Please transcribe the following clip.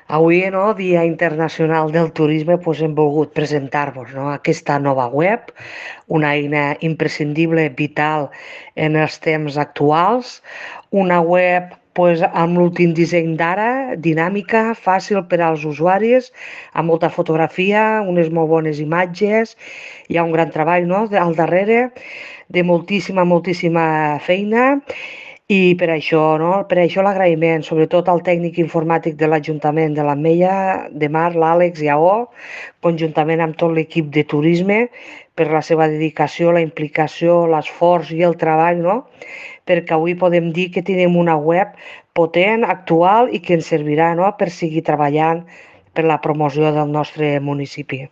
Avui, no, Dia Internacional del Turisme, doncs hem volgut presentar-vos, no, aquesta nova web, una eina imprescindible, vital en els temps actuals, una web doncs, amb l'últim disseny d'ara, dinàmica, fàcil per als usuaris, amb molta fotografia, unes molt bones imatges, hi ha un gran treball, no, al darrere, de moltíssima feina, i per això, no? Per això l'agraïment, sobretot al tècnic informàtic de l'Ajuntament de l'Ametlla, de Mar, l'Àlex i AO, conjuntament amb tot l'equip de turisme, per la seva dedicació, la implicació, l'esforç i el treball, no? Perquè avui podem dir que tenim una web potent, actual i que ens servirà, no?, per seguir treballant per la promoció del nostre municipi.